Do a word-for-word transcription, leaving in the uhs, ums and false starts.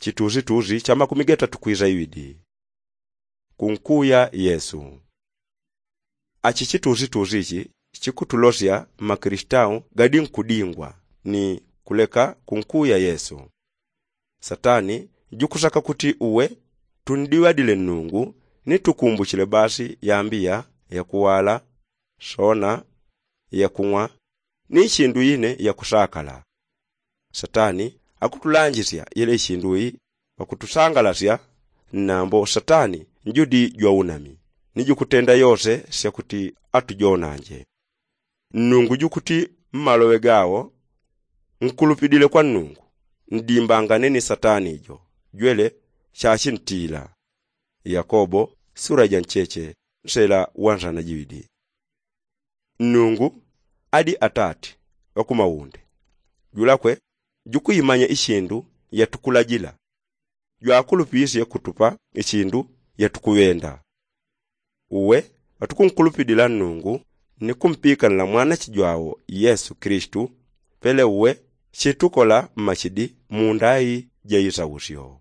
Chitusitusi cha makumi gatatu kwisa iwidi. Kunkuya yesu. Achi chitusitusi ichi chikutulosya mmakilisitau gadi nkudingwa ni kuleka kunkuya yesu. Satani jukusaka kuti uwe tundiŵadile nnungu ni tukumbuchile basi yambiya yakuwala, sona, yakung'wa, ni ichindu ine yakusakala. Satani akutulanjisya yele ichindu iyi pakutusangalasya. Nnambo satani njudi jwaunami ni jukutenda yose syakuti atujonanje. Nnungu jukuti mmaloŵe gawo, nkulupidile kwa nnungu, ndimbangane ni satani jo jwele chachintila. Yakobo sura ja ncheche nsela wa nsana jiwidi. Nnungu adi atati ŵakumaunde. Julakwe jukuimanya ichindu yatukulajila. Jwakulupisye kutupa ichindu yatukuŵenda. Uwe ŵatukunkulupidila nnungu ni kumpikanila mwanache jwawo yesu kilisito, pele uwe chitukola mmachidi mundai ja isausyo.